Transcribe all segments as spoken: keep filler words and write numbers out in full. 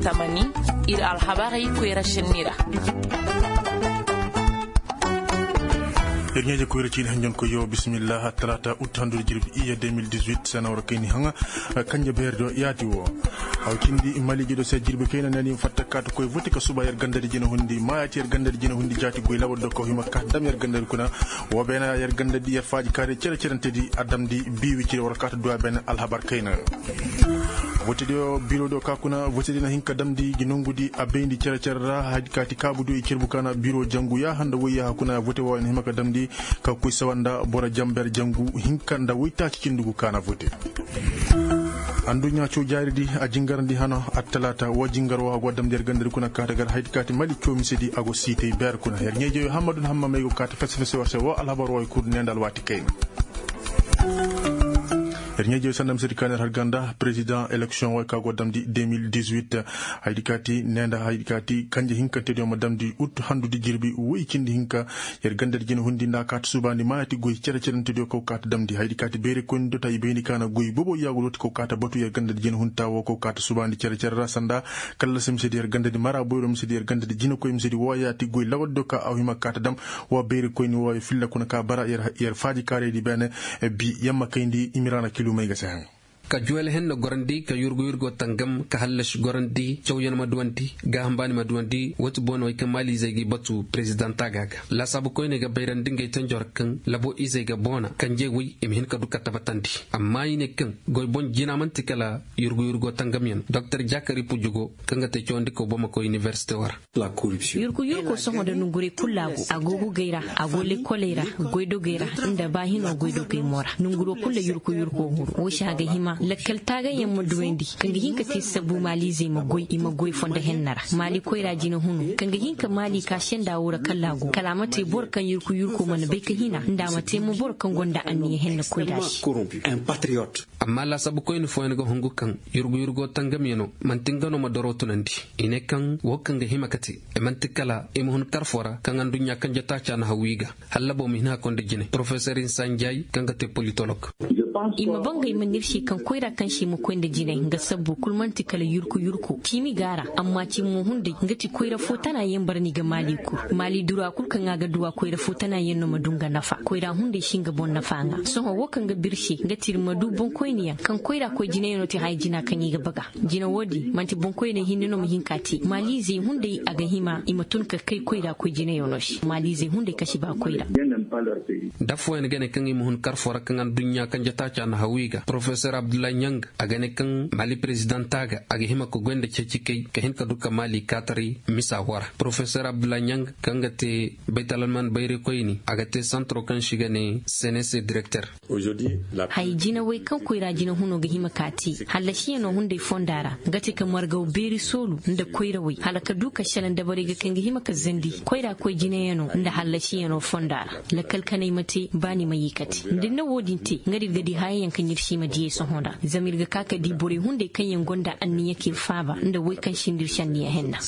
Tamani, ir alhabarey koyra šenni ra. Ir ɲeeje koyra ciini hanjonkoy yo bisimillah. Talaata ut handu da jirbi iya deux mille dix-huit sena war kayni haŋa. Kanje beeri do yaati wo. Aw cindi maliije do se jirbi kayna nani fatta kaata koy vote ka suba yer gandadi jina hundi maayaati yer gandadi jina hundi jaati goy lawal do ka hima kaata dam yer gandadi kuna. Wo beena yer gandadi yer faaji kaari cere cerentedi a damdi biiwi cire war kaata duwa beena alhabar kayna. Vote diyo biro diyo ka kuna vote di na hin ka damndi gi nongudi a bayndi cere-cere ra. Hadi kaati kaabu diyo i cerbu ka na biro jangu yaaha nda woy yaaha kuna vote wooyo na hima ka damndi ka koy sawa nda boro jamber jangu hinka nda woy taaci cindi gu ka na vote. Anduɲɲa caw jaari di a jingarandi hano attalaata woo jingar woo a go damndi yer ganda di kuna kaata gar hadi kaati mali caw mise di a go siitay beer kuna yer ɲeejey hammadun hammamey go kaata fese-fese war se woo alhabar wooyo kul ne nda alwaati kayna. Yer ɲeejey sanda misedi ka na yer har ganda perezidaŋ eleksiyoŋ wey ka go damndi deux mille dix-huit. Haydi kaati ne nda haydi kaati kanje hinkantediyo ma damndi ut handudi jirbi woy cindi hinka. Yer gandadi jina hundi nda a kaati subaandi maayati goy cere-cerentediyo kaw kaati damndi haydi kaati bayray koyndi do ta i bayndi ka na goy bobo yaagu looti kaw kaati batu yer gandadi jina hundi ta woo kaw kaati subaandi cere-cere ra sanda kallasi misedi yer gandadi mara boyro misedi yer gandadi jinakoy misedi wooyaati goy lawaddiyo ka aw hima kaati dam. Wa bayri koyni wooyo filla kuna ka bara yer faaji kaaraydi beene. Bi yamma kayndi imiraana kilumey ga se haŋ. Ka juwel henne gorandi ka yurgu-yurgo tangam ka hallasi gorandi cawyan ma duwandi gaaham baani ma duwandi woo ti boonawey kaŋ maaliizey g'i batu perezidaŋ taaga ga laasaabu koyney ga bayrandi ngey tanjo ra kaŋ labo izey ga boona kanje woy i ma hin ka du ka tabatandi. Amma i ne kaŋ goy boŋ jina man'ti kala yurgu-yurgo tangamyan doktor jakari pujugo kaŋ ga te cawandikaw bomakoy inibersite woo ra. Yurku yurko sohõ nda nonguray kulu a go a go gugay ra, a go lekoley ra, goydogey ra, nda baahino goydogey mo ra nonguro kulu ra yurku yurko huru woo se a ga hima lakkal taagayyaŋ ma duwandi kaŋ ga hin ka te sabu maaliizey ma goy i ma goy fondo henna ra maali koyra jina hunu kaŋ ga hin ka maali ka senda woo ra kala a go kala a ma te boro kaŋ yurku yurko mana bay ka hina nda a ma te mo boro kaŋ gonda anniya henna koyra se. Amma laasaabu koyne fooyaŋ ga hungu kaŋ yurgu-yurgo tangamyano man'ti nga no ma doro tunandi. I ne kaŋ woo kaŋ ga hima ka te i man'ti kala i ma hun kar foo ra kaŋ anduɲɲa kanje taaca na hawwi ga hallabo ma hin hakkoy nda jine porofesor insa njay kaŋ ga te politolog. I ma bangay ma n'ir se kaŋ koyra kaŋ se ma koy nda jine nga sabbu kul man'ti kala yurku-yurko ciimi ga a ra. Amma ciimi mo hunday nga ti koyra foo tana yaŋ bara ni ga maali kul maali dura kul kaŋ a ga duwa koyra foo tana yaŋ no ma du nga nafa koyra hunday si nga boŋ nafa ŋaa sohõ woo kaŋ ga bir se nga ti ir ma du boŋkoyniyaŋ kaŋ koyra koy jinayaŋo ti haya jina kaŋ i ga baga. Jina woodi man'ti boŋkoyney hinne no ma hin ka te maaliizey hunday a ga hima i ma tun ka kay koyra koy jinayaŋo se maaliizey hunday kasi ba koyra. Da fooyaŋ ga ne kaŋ i ma hun kar foo ra kaŋ anduɲɲa kanje taaca na hawwi ga porofesor abdullahi ɲang a ga ne kaŋ maali perezidaŋ taaga a ga hima ka goy nda ceeci kay ka hin ka du ka maali kaataray misa woo ra porofesor abdullahi ɲang kaŋ ga te baytalalman bayraykoyni a ga te santaro kaŋ se i ga ne senese direkter. Hay jinawey kaŋ koyra jina huno ga hima ka te hallasiyaŋo hunday fonda ra nga ti ka margaw beeri soolu nda koyrawey hala ka du ka šelaŋ dabarey ga kaŋ ga hima ka zandi koyra koy jinayaŋo nda hallasiyaŋo fonda ra. Lakkal kanay ma te ba ni ma ye ka te nda ir na woo din te nga da ir ga di hayayaŋ kaŋ ir si ma diyey sohõ nda zama ir ga ka ka di borey hunday kaŋ yaŋ gonda anniya k'ir faaba nda woy kaŋ sinda ir se anniya henna.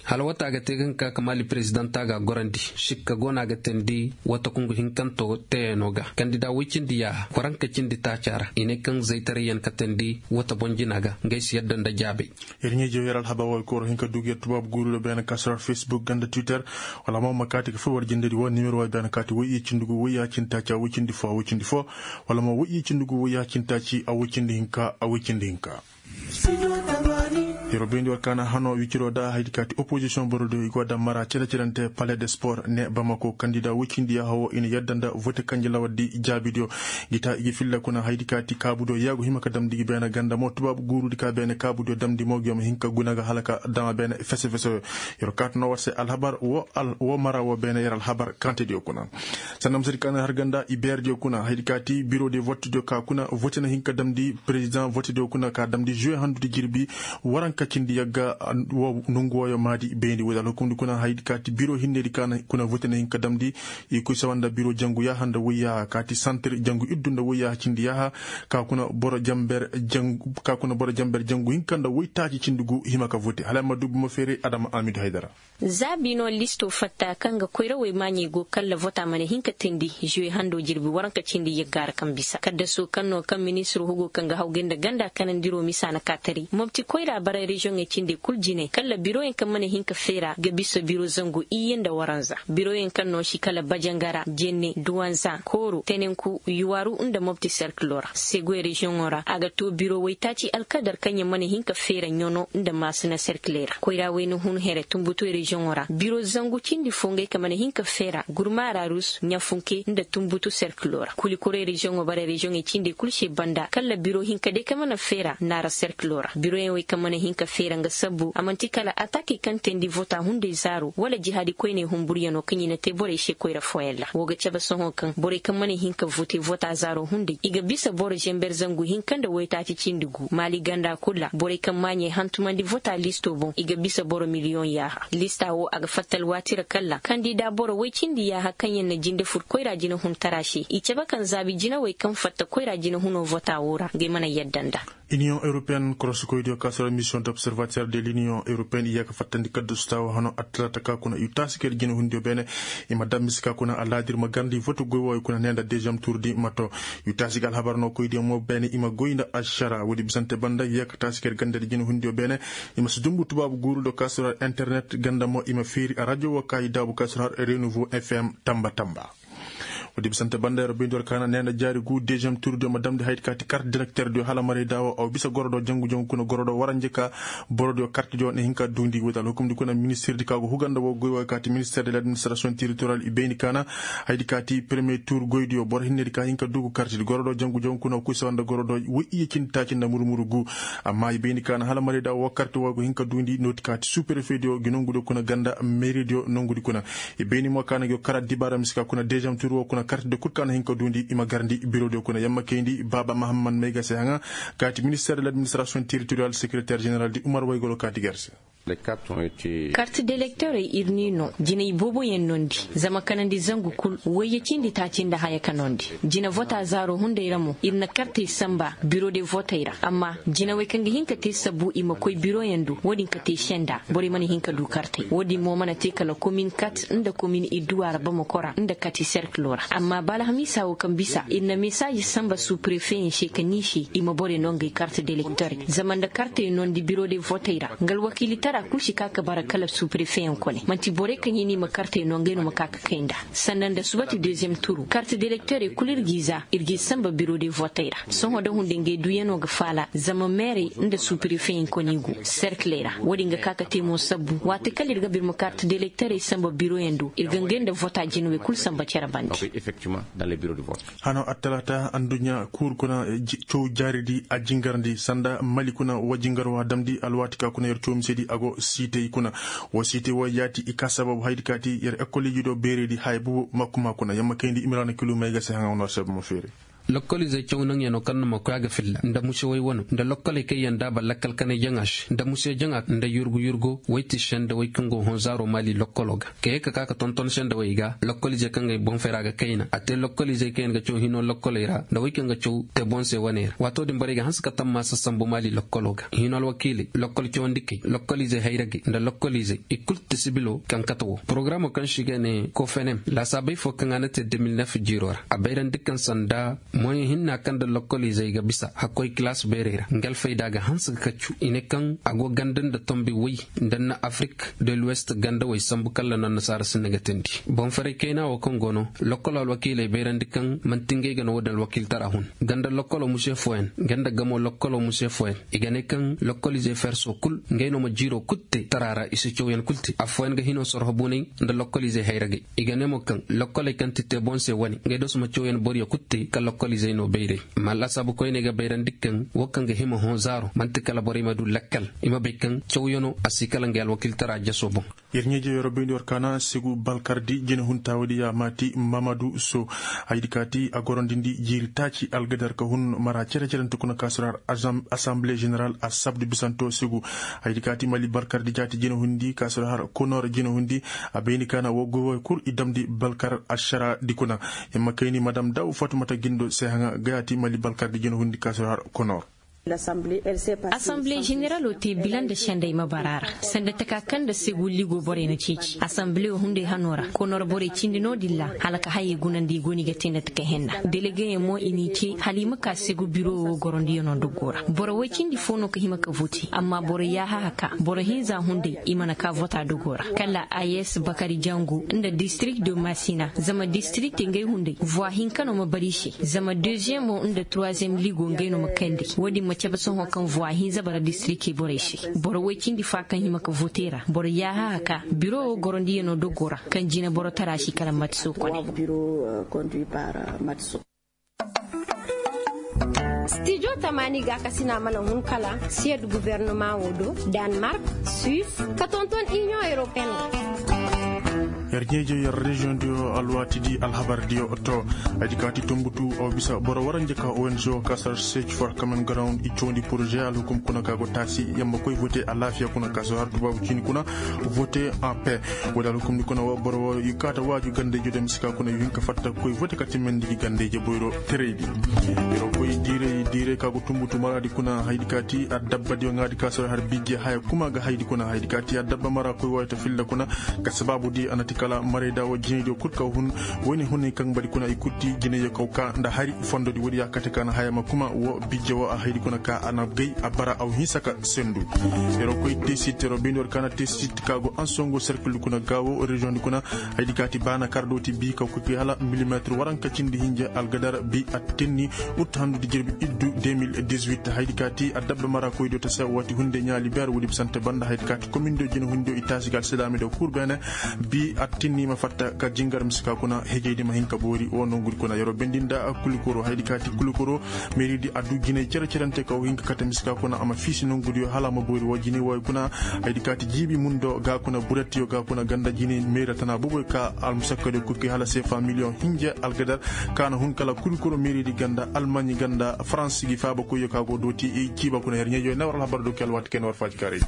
Hala wata ga te ga hin ka ka maali perezidaŋ taaga gorandi sikka go no a ga teendi wata kungu hinkanto teeyaŋo ga kandida woy cindi yaaha kwaranka cindi taaca ra i ne kaŋ zaytarayyaŋ ka teendi wata boŋ jina ga ngey si yadda nda jaabay. Yer ɲeejiyo yer alhabar wooyo kooro hin ka du ga yer tubaabu guuru do beene ka sara facebook ganda twitter wala mo ma kaati ka fur war jindedi woo nimero wooyo beene kaati woy iyye cindi gu woy yaaha cindi taaci a woy cindi foo a woy cindi foo wala mo woy iyye cindi gu woy yaaha cindi taaci a woy cindi hinka a woy cindi hinka. Yeroo bayndi war kaana hanoo wiciroo da haydi kaati opozisiyoŋ borodiyo i go da mara cere-cerente palais de sport ne bamako kandida woy cindi yaaha woo i na yadda nda vote kanje lawardi jaabidiyo. Ngi ta i gi filla kuna haydi kaati kaabudiyo yaagu hima ka damndi gi beene ganda mo tubaabu guurudi ka beene kaabudiyo damndi mo ngi yo ma hin ka guna ga hala ka dama beene fese-feseyo. Yeroo kaati noo war se alhabar woo mara woo beene yer alhabar kantediyo kuna. Sanda misedi ka na har ganda i beerediyo kuna haydi kaati birodi vottediyo ka kuna vote na hin ka damndi perezidaŋ vottediyo kuna ka damndi juwe handudi jirbi. Waranka cindi yagga woo nongu wooyo maadi bayndi woodi alhukumdi kuna haydi kaati biro hinnedi ka kuna vote na hin ka damndi. I koy sawa nda biro jangu yaaha nda woy yaaha kaati santir jangu iddu nda woy yaaha cindi yaaha. Ka kuna boro jamber jangu hinka nda woy taaci cindi gu hima ka vote hala ay ma du buma feeray adama amidu haydara. Za bino listo fatta kaŋ ga koyrawey maaɲey go kalla vota mana hin ka Tindi juwe hando jirbi waranka cindi yagga ra kaŋ bisa kaddaso kaŋ no kaŋ ministiro hugo kaŋ ga hawgay nda ganda kanandiro misa na kaatari mopti koyra bara reziyoŋey cindey kul jinay kala biroyaŋ kaŋ mana hin ka feera ga bisa biro zangu iyye nda waranza biroyaŋ kaŋ no si kala bajangara jenne duwanza kooro tenenku yuwaru nda mopti serkilo ra segoy reziyoŋo ra a ga to biro waytaaci alkadar kaŋ yaŋ mana hin ka feera ɲono nda maasina serkiley ra koyra wayna hun here tumbutoy reziyoŋo ra biro zangu cindi fo ngey kaŋ mana hin ka feera gurmaara rus ɲafunke nda tumbutu serkilo ra kuli koray reziyoŋo bara reziyoŋey cindey kul se banda kala biro hinka day kaŋ mana feera naara serkilo ra biroyaŋ wey kaŋ mana hin ka feera nga sabbu a man'ti kala atakey kaŋ teendi vota hunday zaaro wala jihaadi koyney humburyaŋo kaŋ i na te borey se koyra fooyaŋ ra woo ga cabe sohõ kaŋ borey kaŋ mana hin ka vote vota zaaro hunday i ga bisa boro zenber zangu hinka nda waytaaci cindi gu maali ganda kul ra borey kaŋ maaɲey hantumandi vota listo boŋ i ga bisa boro miliyoŋ yaaha lista woo a ga fatta alwaati ra kalla kandida boro woy cindi yaaha kaŋ yaŋ na jinde fur koyra jinahuntara se i cabe kaŋ zaabi jinawey kaŋ fatta koyra jinahuno vota woo ra ngey mana yadda nda. Iniyoŋ europeyen korosokoydiyo ka soro misiyoŋ d'observater de l'iniyoŋ europeyen i yee ka fattandi kaddasu taawa hano attalaata ka kuna yu taasi kay nda jinahundiyo beene. I ma dam mise ka kuna alaadir ma garndi vote goy wooyo kuna nee nda deziyem tuur di ma to yu taasi ga alhabar no koydiyo mo beene i ma goy nda ašara woodi bisante banda i yee ka taasi kay nda ganda di jinahundiyo beene. I ma si dumbu tubaabu guuru do ka soro har internet ganda mo i ma feeri arajo woo ka i daabu ka soro har renouveau fm tamba tamba. Woodi bisante banda yer bayndi war kaana nee nda jaari gu deziyem tuur diyo ma damndi haydi ka ti kart direkter diyo hala maray daawo aw bisa goro do jangu jangu kuna goro do waranje ka boro diyo kart diyo na hin ka duundi woodi alhukumdi kuna ministir di ka go huga nda woo goy woo ka ti ministir de l'administrasiyoŋ teritoriyal i bayndi kaana. Haydi ka ti peremiye tuur goydiyo boro hinne di ka hin ka duugu kart di goro do jangu jangu kuna kuy sawa nda goro do woy iyye cindi taaci nda muru muru gu. Amma i bayndi kaana hala maray daawo woo kart woo go hin ka duundi nooti ka ti suuperefe diyo gi nongu diyo kuna ganda meeri diyo nongu di kuna. I bayni mo ka na go kara dibaara mise ka kuna deziyem tuur woo kuna kartidi kul ka na hin ka duundi i ma garndi birodiyo kuna yamma kayndi baaba mahamman mayga se haŋa. Ka ti minister de l'administrasiyoŋ teritoriyal sekereter ženeral di umar waygolo ka ti gar se. Karti delektorey ir n'i noo jinay booboyaŋ noondi. Zama kanandi zangu kul wayye cindi taaci nda haya ka noondi. Jina vota zaaro hunday ra mo ir na kartey sanba biro de votey ra amma jinawey kaŋ ga hin ka te sabbu i ma koy biroyaŋ do wo-din ka te senda borey mana hin ka du kartey wo-din mo mana te kala komin kat nda komin idduwa ra bamako ra nda kati serkilo ra amma ba alhamiisa wo kaŋ bisa ir na mesaaji sanba suprefeyaŋ se ka ni se i ma borey no ngey karti delektorey zama nda kartey noondi biro de votey ra nga alwakiilitara kul si ka ka bara kala suprefeyaŋ kone man'ti borey kaŋ i n'i ma kartey no ngey no ma ka ka kay nda sanda nda subati deziyem turu karti delektorey kul ir g'i za ir g'i sanba biro de votey ra sohõ da hunday ngey duyanoo ga faala zama meerey nda suprefeyaŋ kone i go serkiley ra wo-din ga ka ka te mo sabbu waati kala ir ga ba ir ma karti delektorey sanba biroyaŋ do ir ga ngey nda vota jinawey kul sanba cere bande. Hano attalaata anduɲɲa kuur kuna caw jaaridi a jingarndi sanda mali kuna wa jingarwa damndi alwaati ka kuna yer caw misedi a go siitey kuna. Wo siitey wo yaati i ka sababu haydi ka ti yer ekoliiji do beeredi haya bubu makkuma kuna yamma kayndi imiraana kilu may ga se haŋa wane war sababu ma feeri. Lokkoliizey caw naŋyanoo kaŋ na ma koy a ga filla nda musewey wano nda lokkoley kaŋ yaŋ daaba lakkal kanay jaŋa se nda muse jaŋa nda yurgu yurgo woy ti sendawey kaŋ go hõ zaaro maali lokkoloo ga. Ka ye ka ka ka tonton sendawey ga lokkoliizey kaŋ ga ay boŋfay ra ga kayna a te lokkoliizey kaŋ yaŋ ga caw hinoo lokkoley ra nda wey kaŋ ga caw te boŋ se wane ra waatoo din borey ga hanse ka tammaasa sambu maali lokkoloo ga hinoo alwakiiley lokkol cawandikey lokkoliizey hayragey nda lokkoliizey i kul ti sibiloo kaŋ kate woo porogaramoo kaŋ se i ga ne kofenem laasaabey foo kaŋ a na te de mil nef jiiroo ra a bayrandi kaŋ sanda moyeŋ hinna kaŋ nda lokkoliizey ga bisa hakkoy kilaas beerey ra nga alfayda ga hanse ga kaccu i ne kaŋ a go ganda nda tombi woy nda na afirik de luwest gandawey sambu kala no annasaara sinda ga teendi boŋ faray kayna wo kaŋ go no lokkolo alwakiiley bayrandi kaŋ man'ti ngey ga no wo-din alwakiiltara hun ganda lokkolo muse fooyaŋ nga nda gamo lokkolo muse fooyaŋ i ga ne kaŋ lokkoliizey fersoo kul ngey no ma jiiroo kul te tara ra i si cawyaŋ kul te affooyaŋ ga hinoo sorho bunay nda lokkoliizey hayragey i ga ne mo kaŋ lokkoley kaŋ ti te boŋ se wane ngey do si ma cawyaŋ boriyo kul te ka lokkoliizey no bayray. Amma laasaabu koyney ga bayrandi kaŋ wo kaŋ ga hima hõ zaaro man'ti kala borey ma du lakkal i ma bay kaŋ cawyanoo a si kala ngey alwakiiltara jasoo boŋ. Yer ɲeeje yer bayndi war kaana segu balkardi jinahuntaawadiya maati mamadu so haydi kaati a gorondindi jiiri taaci algadar ka hun mara cere-cerente kuna ka sura har asamble ženeral a sabdu bisanto segu. Haydi kaati mali balkardi jaati jinahundi ka sura har konor jinahundi a bayndi kaana wo goy woy kul i damndi balkar ašara di kuna. Himma kayni madam daw fatumata gindo se haŋa gayaati mali balkardi jinahundi ka sura har konor. Asanbile ženeraloo te bila nda sendey ma bara ra sanda taka kaŋ nda segu ligo borey na ceeci asanbile wo hunday hanoo ra konor borey cindi no-din ra hala ka hayey gunandi i go no i ga te nda taka henna delegeyaŋ mo i n'i ce hala i ma ka segu biro wo gorondiyanoo dogoo ra boro woy cindi fo no ka hima ka vote amma boro yaaha haka boro hinza hunday i mana ka vota dogoo ra kala a s bakari jango nda district de masina zama district ngey hunday voi hinka no ma bari i se zama deuxième nda troisième ligo ngey no ma kayndi wo-din ma cabe sohõ kaŋ voi hinza bara district borey se boro woy cindi fa kaŋ hima ka vote ra boro yaaha haka biro wo gorondiyanoo dogoo ra kaŋ jina boro tara si kala matiso kone. Stijo tamaani gaakasina mana hun kala siyad gubernamaa wo do, danmark, suis, ka tonton inion europeen. Yer ɲeeje yer reziyoŋ diyo alwaati di alhabar diyo to. Ay di kaati tumbutu aw bisa boro waranja ka ong ka sar seeci for kamen garawun i coondi poroze alhukum kuna ka go taasi yamma koy vote alaafiya kuna ka sar har tubaabu ciini kuna vote en paix. Wala alhukum di kuna boro i kaata waaju ganda i jodem si ka kuna i hin ka fatta koy vote ka timmandi gi ganda i je boyro terey di. Yero koy diiray diiray ka go tumbutu maraadi kuna haydi kaati addabba diyo ŋaadi ka sar har bijje haya kuma ga haydi kuna haydi kaati addabba mara koy waayta filla kuna. Ka sabaabu di a na ti kala marayda wo jinaydiyo kul ka hun wayne hunay kaŋ bari kuna i kul ti jinayyo kaw ka nda hari fondodi woodi ya kate ka na haya ma kuma wo bijje wo a haydi kuna ka a na gay a bara aw hinsa ka sendu. Yero koy tesit yero bindi war ka na tesit ka go ansongo serkildi kuna gaawo reziyoŋdi kuna. Haydi ka ti baana kar do ti bi ka kuki hala milimetir waranka cindi hinja algadar bi a tenni. Ut handudi jirbi iddu deux mille dix-huit haydi ka ti addabba mara koydo ta se wati hunde ɲaali ber wudi bisante banda haydi ka ti komindo jina hundo i taasi ga alsilaami do kur bene. Bi a tinni ma fatta ka jingar misika kuna hejeydi ma hin ka boori wo nongudi kuna yero bendi nda kulikoro haydi ka ti kulikoro. Meeridi addu jinay cere cerante ka wo hin ka kate misika kuna a ma fiisi nongudiyo hala a ma boori wo jinay wooyo kuna. Haydi ka ti jiibi mundo ga kuna buretiyo ga kuna ganda jinay meera tana boboy ka almusakkadiyo kuki hala seefa miliyoŋ hinja algadar. Ka na hun kala kulikoro meeridi ganda almaɲi ganda faransi gi faaba koyyo ka go dooti ciiba kuna yer ɲeejoy na war alhabar do ke alwaati kay na war faajikaaray.